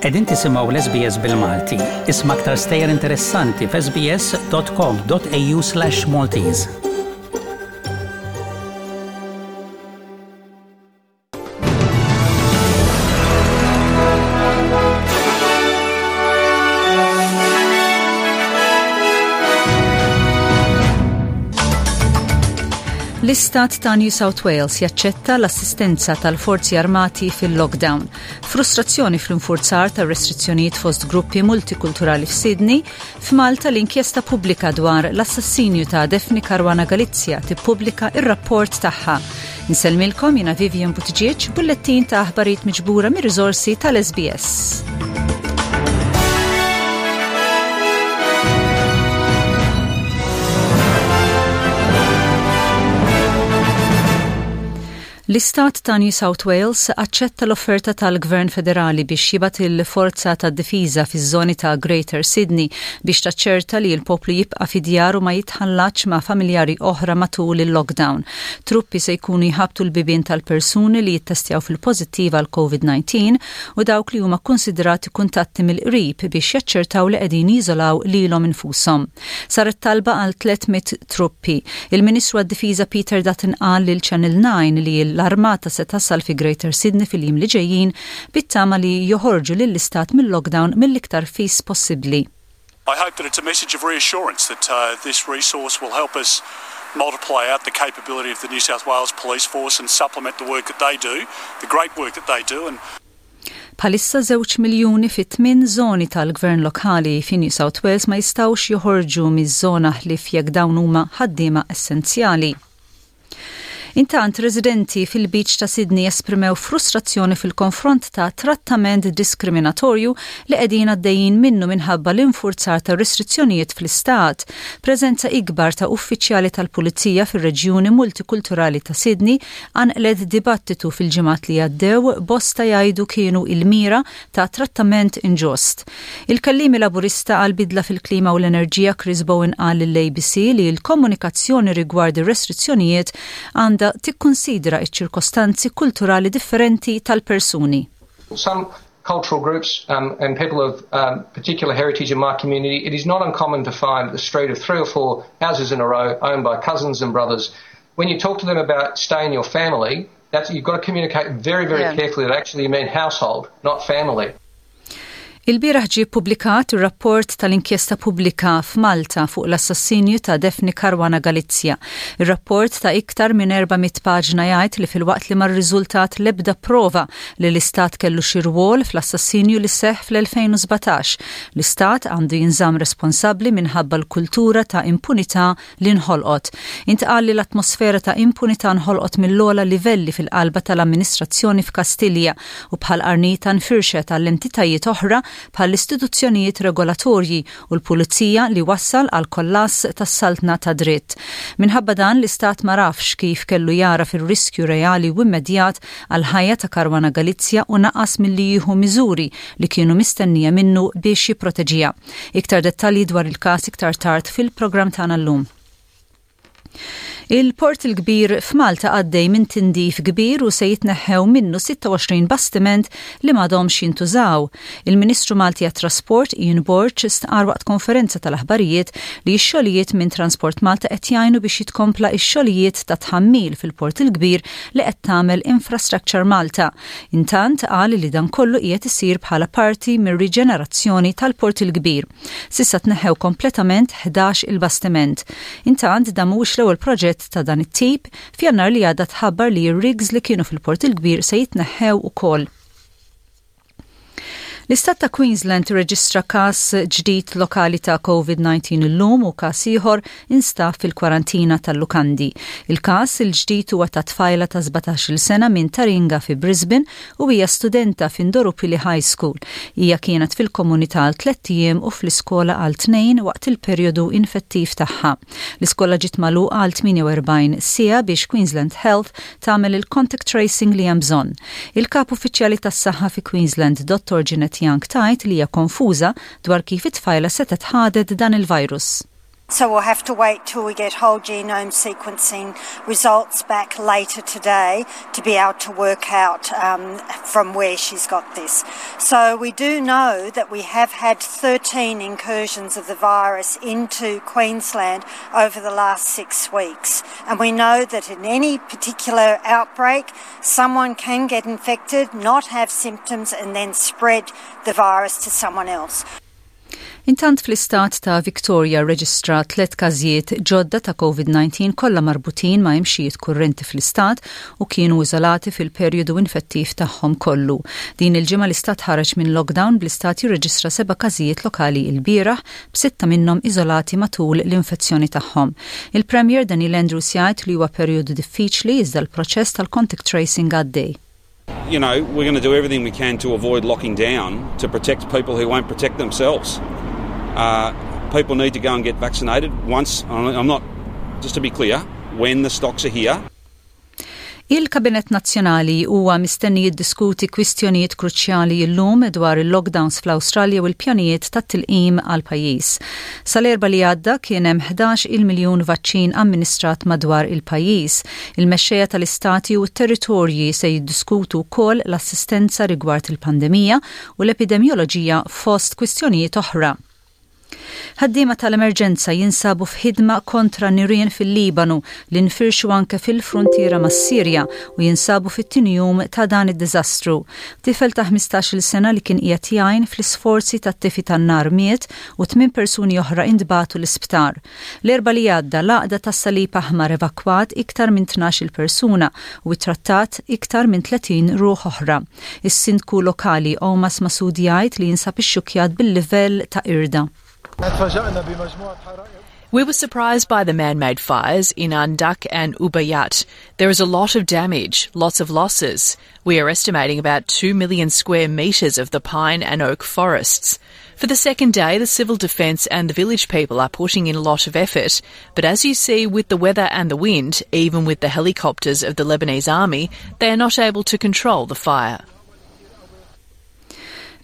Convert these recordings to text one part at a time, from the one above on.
Qegħdin tisimgħu l-SBS bil-Malti. Isma' aktar stejjer interessanti f'sbs.com.au/Maltese. L-istat ta' New South Wales jaċċetta l-assistenza tal-forzi armati fil-lockdown. Frustrazzjoni fl-infurzar ta' restrizzjonijiet fost gruppi multikulturali f'Sydney, f'Malta l-inkjesta pubblika dwar l-assassinju ta' Daphne Caruana Galizia tippubblika ir-rapport tagħha. Insellmilkom jiena Vivian Buttigieg, bullettin ta' aħbarijiet miġbura mir-riżorsi tal-SBS. L-Istat ta' New South Wales aċċetta l-offerta tal-Gvern Federali biex jibgħat il-Forza tad-Difiża fiż-żoni ta' Greater Sydney biex taċċerta li l-poplu jibqa' fi djaru ma jitħallatx ma' familjari oħra matul il-lockdown. Truppi se jkunu jħabbtu l-bibien tal-persuni li jittestjaw fil-pożittiv għall-Covid-19 u dawk li huma kkunsidrati kuntatti mill-qrib biex jaċċertaw li qegħdin jiżolaw lilhom infushom. Saret talba għal 300 truppi. Il-Ministru għad-Difiża Peter Dutton qal lil Channel 9 li l-armata se tasal fi Greater Sydney fil-jiem li ġejjin bit-tama li joħorġu lill-istat mil-lockdown mill-iktar fis possibbli. I hope that it's a message of reassurance that uh, this resource will help us multiply out the capability of the New South Wales Police Force and supplement the work that they do, the great work that they do. And Bħalissa żewġ miljuni fi tmien żoni tal-gvern lokali fi New South Wales ma jistgħux joħorġu miż-żona ħlief jekk dawn huma ħaddiema essenzjali. Intant, residenti fil-Beach ta' Sydney esprimew frustrazzjoni fil-konfront ta' trattament diskriminatorju li qegħdin għaddejjin minnu minħabba l-infurzar ta' restrizzjonijiet fl-istat. Preżenza ikbar ta' uffiċjali tal-pulizija fir-reġjuni multikulturali ta' Sydney qanqlet dibattitu fil-ġimgħat li għaddew, bosta jgħidu kienu il-mira ta' trattament inġust. Il-kelliemi Laburista għall-bidla fil-klima u l-enerġija Chris Bowen qal lill-ABC li l-komunikazzjoni rigward ir-restrizzjonijiet għandha tikkunsidra ċ-ċirkostanzi kulturali differenti tal-persuni. Some cultural groups um, and people of um, particular heritage in my community, it is not uncommon to find a street of three or four houses in a row owned by cousins and brothers. When you talk to them about stay in your family, that's, you've got to communicate very, very yeah. carefully that actually you mean household, not family. Ilbieraħ ġie ppubblikat ir-rapport tal-inkjesta pubblika f'Malta fuq l-assassinju ta' Daphne Caruana Galizia. Ir-rapport ta' iktar minn 400 paġna jgħid li filwaqt li ma rriżultat l-ebda prova li l-Istat kellu xi rwol fl-assassinju li seħħ fl-2017, l-Istat għandu jinżamm responsabbli minħabba l-kultura ta' impunità li nħolqot. Intqal li l-atmosfera ta' impunità nħolqot mill-ogħla livelli fil-qalba tal-amministrazzjoni f'Kastilja u bħal qarnita nfirxet għal entitajiet oħra bħall-istituzzjonijiet regolatorji u l-pulizija li wassal għal kollass tas-saltna tad-dritt. Minħabba dan l-Istat m'għarafx kif kellu jagħraf ir-riskju reali u immedjat għall-ħajja ta' Caruana Galizia u naqas milli jieħu miżuri li kienu mistennija minnu biex jipproteġiha. Iktar dettalji dwar il-każ iktar tard fil-programm tagħna llum. Il-Port il-Kbir f'Malta għaddej minn tindif kbir u se jitneħħew minnu 26 bastiment li m'għadhomx jintużaw. Il-Ministru Malti għat-Trasport Ian Borg stqarr waqt konferenza tal-aħbarijiet li x-xogħlijiet minn Transport Malta qed jgħinu biex jitkompla x-xogħlijiet ta' tħammil fil-Port il-Kbir li qed tagħmel Infrastructure Malta. Intant, qal li dan kollu qiegħed isir bħala parti mir-riġenerazzjoni tal-Port il-Kbir. S'issa tneħħew kompletament 11 il-bastiment. Intant, dan mhuwiex l-ewwel proġett ta' dan it-tip, f'Jannar li għadda tħabbar li r-rigs li kienu fil-Port il-Kbir se jitneħħew ukoll. L-Istat ta' Queensland irreġistra każ ġdid lokali ta' COVID-19 illum u każ ieħor instab fil-kwarantina tal-lukandi. Il-każ il-ġdid huwa ta' tfajla ta' 17-il sena minn Taringa fi Brisbane u hija studenta f'Indooroopilly High School. Hija kienet fil-komunità għal tlett ijiem u fl-iskola għal tnejn waqt il-perjodu infettiv tagħha. L-iskola ġiet magħluqa għal 48 siegħa biex Queensland Health tagħmel il-contact tracing li hemm bżonn. Il-Kap Uffiċjali tas-Saħħa fi Queensland, Dottor Jeanette Young tgħid li hija konfuża dwar kif it-tfajla setgħet ħadet dan il-virus. So we'll have to wait till we get whole genome sequencing results back later today to be able to work out um, from where she's got this. So we do know that we have had 13 incursions of the virus into Queensland over the last six weeks. And we know that in any particular outbreak, someone can get infected, not have symptoms, and then spread the virus to someone else. Intant fl-istat ta' Victoria rreġistra tliet każijiet ġodda ta' COVID-19 kollha marbutin ma' imxijiet kurrenti fl-istat u kienu iżolati fil-perjodu infettiv tagħhom kollu. Din il-ġimgħa l-istat ħareġ minn lockdown bl-istat jirreġistra seba' każijiet lokali ilbieraħ b'sitta minnhom iżolati matul l-infezzjoni tagħhom. Il-Premier Daniel Andrews jgħid li huwa perjodu diffiċli iżda l-proċess tal-contact tracing għaddej. You know, we're going to do everything we can to avoid locking down to protect people who won't protect themselves. Uh, people need to go and get vaccinated once, I'm not, just to be clear, when the stocks are here. Il-Kabinett Nazzjonali huwa mistenni jiddiskuti kwistjonijiet kruċjali llum dwar il-lockdowns fl-Awstralja u l-pjanijiet tat-tilqim għall-pajjiż. Sal-Erbgħa li għadda kien hemm 11-il miljun vaċċin amministrat madwar il-pajjiż. Il-mexxejja tal-istati u t-territorji se jiddiskutu wkoll l-assistenza rigward il-pandemija u l-epidemjoloġija fost kwistjonijiet oħra. Ħaddiema tal-emerġenza jinsabu f'ħidma kontra nirien fil-Libanu li nfirxu anke fil-fruntiera mas-Sirja u jinsabu fit-tieni jum ta' dan id-diżastru. Tifel ta' 15-il sena li kien qiegħed jgħin fl-isforzi tat-tifi tan-nar miet u tmien persuni oħra intbagħtu l-isptar. L-Erbgħa li għadda, l-Għaqda tas-Salib Aħmar evakwat iktar minn 12-il persuna u ittrattat iktar minn 30 ruħ oħra. Is-Sindku lokali Omas Masoud jgħid li jinsab ixxukkjat bil-livell ta' qirda. We were surprised by the man-made fires in Andak and Ubayat. There is a lot of damage, lots of losses. We are estimating about 2 million square metres of the pine and oak forests. For the second day, the civil defence and the village people are putting in a lot of effort. But as you see with the weather and the wind, even with the helicopters of the Lebanese army, they are not able to control the fire.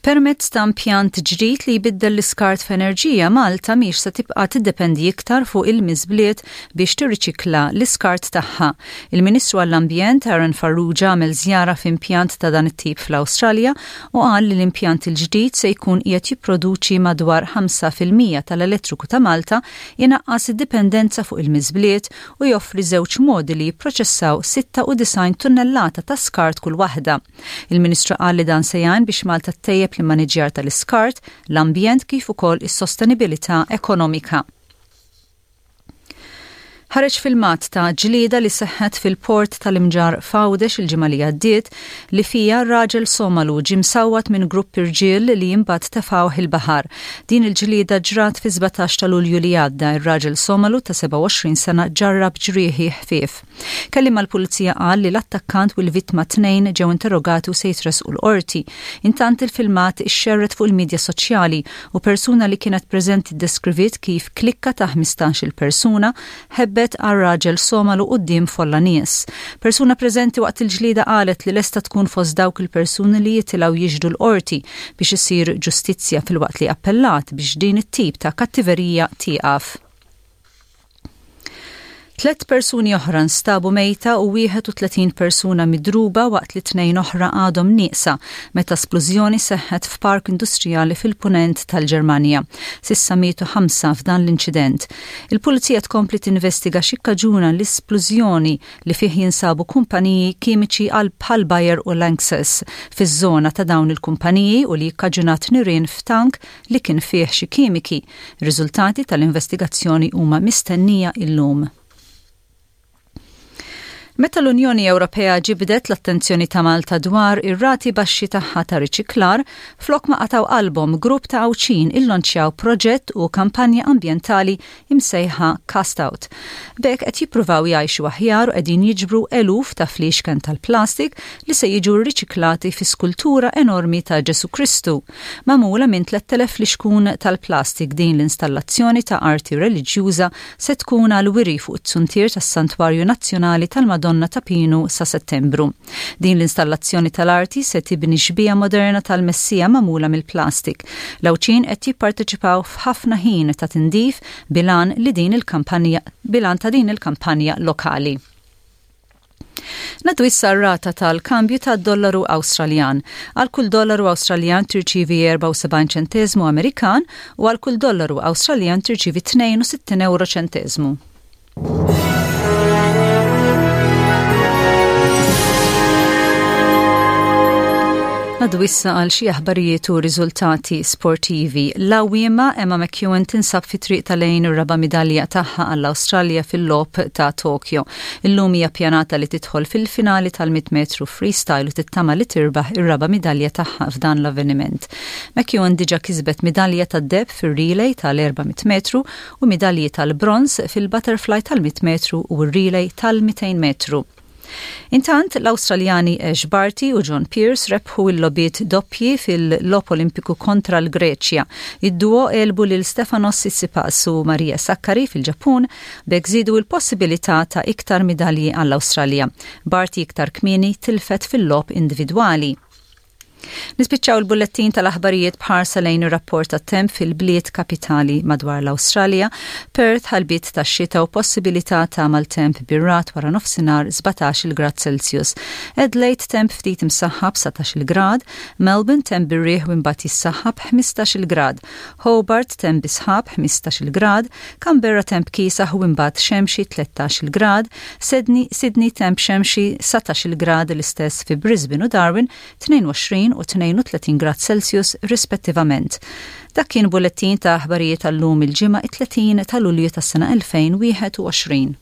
Permezz ta' impjant ġdid li jbiddel l-iskart f'enerġija, Malta mhix se tibqa' tiddependi iktar fuq il-miżbliet biex tirriċikla l-iskart tagħha. Il-Ministru għall-Ambjent Aaron Farrugia għamel żjara f'impjant ta' dan it-tip fl-Awstralja u qal li l-impjant il-ġdid se jkun qiegħed jipproduċi madwar 5% tal-elettriku ta' Malta, inaqqas id-dipendenza fuq il-miżbliet u joffri żewġ modi li jipproċessaw 96 tunnellata ta' skart kull waħda. Il-Ministru qal li dan se jgħin biex Malta ttejjeb l-immaniġġjar tal-iskart, l-ambjent kif ukoll is-sostenibilità ekonomika. Ħareġ filmat ta' ġlieda li seħħet fil-port tal-Imġarr f'Għawdex il-ġimgħa li għaddiet li fiha raġel Somalu ġie msawwat minn grupp irġiel li imbagħad tefgħuh il-baħar. Din il-ġlieda ġrat fis-17 ta' Lulju li għadda. Ir-raġel Somalu ta' 27 sena ġarrab ġrieħi ħfief. Kelliem għall-Pulizija qal li l-attakkant u l-vittma t-tnejn ġew interrogati u se jitressqu l-Qorti. Intant il-filmat ixxerred fuq il-midja soċjali u persuna li kienet preżenti ddeskriviet kif klikka ta' 15-il persuna ħebbet għal raġel Somalu quddiem folla nies. Persuna preżenti waqt il-ġlieda qalet li lesta tkun fost dawk il-persuni li jitilgħu jixhdu l-Qorti biex isir ġustizzja filwaqt li appellat biex din it-tip ta' kattiverija tieqaf. Tlett persuni oħra nstabu mejta u 31 persuna midruba waqt li tnejn oħra għadhom nieqsa meta splużjoni seħħet f'park industrijali fil-Punent tal-Ġermanja. S'issa mietu ħamsa f'dan l-inċident. Il-Pulizija tkompli tinvestiga x'ikkaġuna l-isplużjoni li fih jinsabu kumpaniji kimiċi għal bħal Bayer u Lanxess fiż-żona ta' dawn il-kumpaniji u li kkaġunat nirien f'tank li kien fih xi kimiki. Ir-riżultati tal-investigazzjoni huma mistennija illum. Meta l-Unjoni Ewropea ġibdet l-attenzjoni ta' Malta dwar ir-rati baxxi tagħha ta' riċiklar, flok ma qatgħu qalbhom grupp ta' Għawdxin illonċjaw proġett u kampanja ambjentali imsejħa Cast Out. B'hekk qed jippruvaw jgħixu aħjar u qegħdin jiġbru eluf ta' fliexken tal-plastik li se jiġu rriċiklati fi skultura enormi ta' Ġesù Kristu. Magħmula minn 3,000 flixkun tal-plastik din l-installazzjoni ta' arti reliġjuża se tkun għall-wiri fuq it-zuntier tas-Santwarju Nazzjonali tal-Madonna. tal-Madonna ta' Pinu sa Settembru. Din l-installazzjoni tal-arti se tibni xbieha moderna tal-Messija magħmula mill-plastik. L-Għawdxin qed jipparteċipaw f'ħafna ħin ta' tindif bil-għan li din il-kampanja bil-għan ta' din il-kampanja lokali. Ngħaddu issa r-rata tal-kambju tad-dollaru Awstraljan. Għal kull dollaru Awstraljan tirċievi 74 ċenteżmu Amerikan u għal kull dollaru Awstraljan tirċievi 62 euro ċenteżmu. Ngħaddu issa għal xi aħbarijiet u riżultati sportivi. L-għawwiema Emma McEwen tinsab fi triq ta' lejn ir-raba' midalja tagħha għall-Awstralja fil-Logħob ta' Tokyo. Illum hija ppjanata li tidħol fil-finali tal-100 metru freestyle u tittama li tirbaħ ir-raba' midalja tagħha f'dan l-avveniment. McEwen diġà kisbet midalja tad-deheb fir-relay tal-400 metru u midalji tal-bronż fil-butterfly tal-100 metru u r-relay tal-200 metru. Intant, l-Awstraljani Ash Barty u John Peers rebħu l-logħbiet doppji fil-Logħob Olimpiku kontra l-Greċja. Id-duo għelbu lil Stefanos Tsitsipas u Maria Sakkari fil-Ġappun b'hekk żiedu l-possibilità ta' iktar midalji għall-Awstralja. Barty iktar kmieni tilfet fil-logħob individwali. Nispiċċaw il-bullettin tal-aħbarijiet b'ħarsa lejn ir-rapport tat-temp fil-bliet kapitali madwar l-Awstralja. Perth ħalbiet ta' xita u possibilità ta' maltemp bir-ragħad wara nofsinhar 17-il grad Celsius. Adelaide temp ftit imsaħħab 19-il grad, Melbourne temp bir-riħ u imbagħad jissaħħab 15-il grad, Hobart temp bi sħab 15-il grad, Canberra temp kiesaħ u imbagħad xemxi 13-il grad, Sydney, Sydney temp xemxi 19-il grad l-istess fi Brisbane u Darwin 22 u 32 grad Celsius rispettivament. Dak kien bullettin ta' aħbarijiet għal-lum il-Ġimgħa it-30 ta' Lulju tas-sena 2021.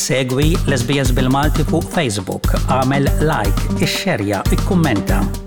Segwi l-SBS bil-Malti fuq Facebook, għamel like, ixxerja, ikkummenta.